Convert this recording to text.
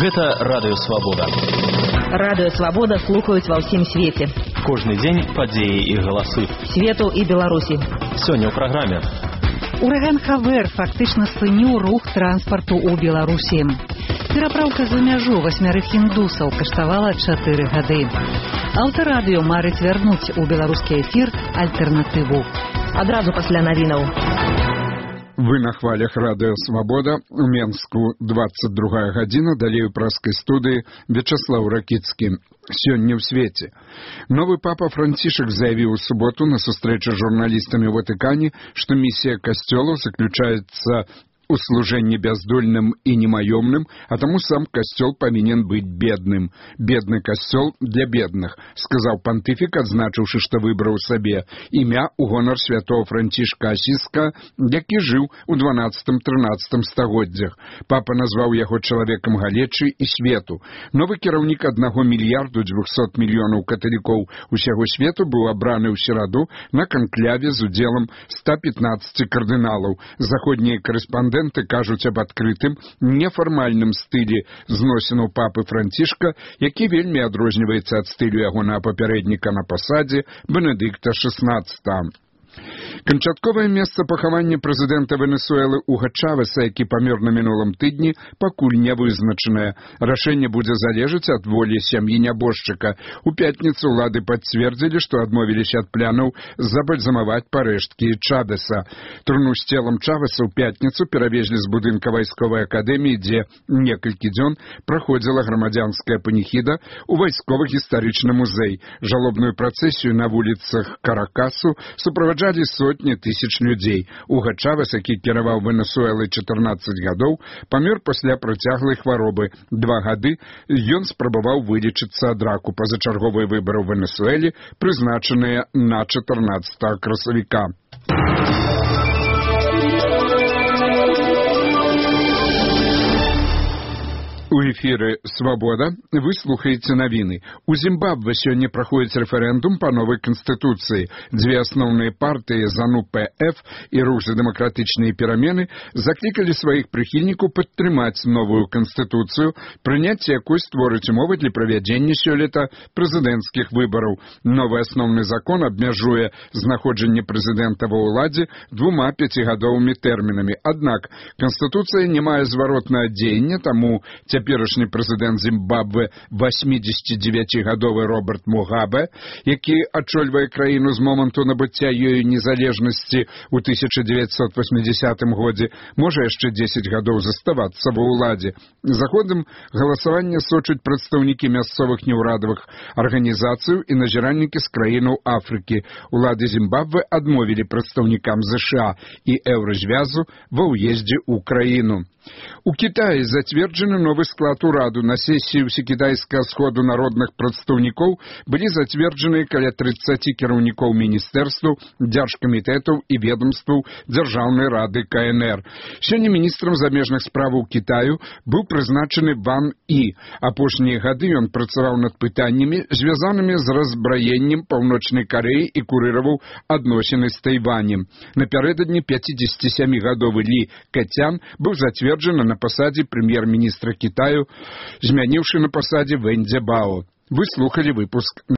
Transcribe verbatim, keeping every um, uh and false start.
Гэта Радыё Свабода. Радыё Свабода слухаюць ва ўсім свеце. Кожны дзень падзеі і галасы. Свету і Беларусі. Сёння ў праграме. Ураган Хавер фактычна спыніў рух транспарту ў Беларусі. Перапраўка за мяжу васьмярых індусаў каштавала чатыры гады. Аўтарадыё марыць вярнуць у беларускі эфір альтэрнатыву. Адразу пасля навінаў. Вы на хвалях Радыё Свабода, у Менску двадцать другая гадзіна, далей у праскай студыі Вячаслаў Ракіцкі. Сёння ў свеце. Новы папа Францішак заявіў у суботу на сустрэчы з журналістамі ў Ватыкане, што місія касцёлаў заключаецца у служэнні бяздольным і немаёмным, а таму сам касцёл павінен быць бедным. Бедны касцёл для бедных, сказаў пантыфік, адзначыўшы, што выбраў сабе імя ў гонар святого Францішка Асіска, які жыў у дванаццатым-трынаццатым стагоддзях. Папа назваў яго чалавекам галечы і свету. Новы кіраўнік аднаго мільярду дзвюхсот мільёнаў каталікоў усяго свету быў абраны ў сераду на канкляве з удзелам ста пятнаццаці кардыналаў. Заходнія корэспандэнты кажуць аб адкрытым, нефармальным стылі зносінаў папы Францішка, які вельмі адрозніваецца ад стылю ягонага папярэдніка на пасадзе Бенедыкта шэснаццатага. Канчатковае месца пахавання прэзідэнта Венесуэлы Уга Чавеса, які памёр на мінулым тыдні, пакуль не вызначанае. Рашэнне будзе залежаць ад волі сям'і нябожчыка. У пятніцу ўлады пацвердзілі, што адмовіліся ад планаў забальзамаваць парэшткі Чавеса. Труну з целам Чавеса ў пятніцу перавезлі з будынка вайсковай акадэміі, дзе некалькі дзён праходзіла грамадзянская паніхіда ў вайсковы-гістарычны музей. Жалобную працэсію на вуліцах Каракасу суправаджалі сотні тысяч людзей. Уга Чавес, які кіраваў Венесуэлай чатырнаццаць гадоў, памёр пасля працяглай хваробы. Два гады ён спрабаваў вылечыцца ад раку. Пазачарговыя выбары ў Венесуэле прызначаныя на чатырнаццатага красавіка. У эфіры «Свабода» вы слухаеце навіны. У Зімбабве сёння праходзіць рэферэндум па новай канстытуцыі. Дзве асноўныя партыі ЗАНУ-ПФ і рух за дэмакратычныя перамены заклікалі сваіх прыхільнікаў падтрымаць новую канстытуцыю, прыняцце якой створыць умовы для правядзення сёлета прэзідэнцкіх выбараў. Новы асноўны закон абмяжуе знаходжанне прэзідэнта ва ўладзе двума пяцігадовымі тэрмінамі. Аднак канстытуцыя не мае зваротнага дзеяння, таму цяперашні прэзідэнт Зімбабве васьмідзесяцідзевяцігадовы Роберт Мугабе, які ачольвае краіну з моманту набыцця ёю незалежнасці ў тысяча дзевяцьсот васьмідзесятым годзе, можа яшчэ дзесяць гадоў заставацца ва ўладзе. За ходам галасавання сочаць прадстаўнікі мясцовых неўрадавых арганізацый і назіральнікі з краінаў Афрыкі. Улады Зімбабве адмовілі прадстаўнікам ЗША і Еўразвязу ва ўездзе ў краіну. У Кітаі зацверджаны новы склад ураду. На сесіі ўсекітайскага сходу народных прадстаўнікоў былі зацверджаны каля трыццаці кіраўнікоў міністэрстваў, дзяржкамітэтаў і ведомстваў Дзяржаўнай рады КНР. Сёння міністрам замежных справаў Кітаю быў прызначаны Ван І. Апошнія гады ён працаваў над пытаннямі, звязанымі з разбраеннем Паўночнай Карэі і курыраваў адносіны з Тайванем. Напярэдадні пяцідзесяцісямігадовы Лі Кэцян быў зацверджаны на пасадзе прэм'ер-міністра Кітаю, змяніўшы на пасадзе Вэнь Цзябао. Вы слухалі выпуск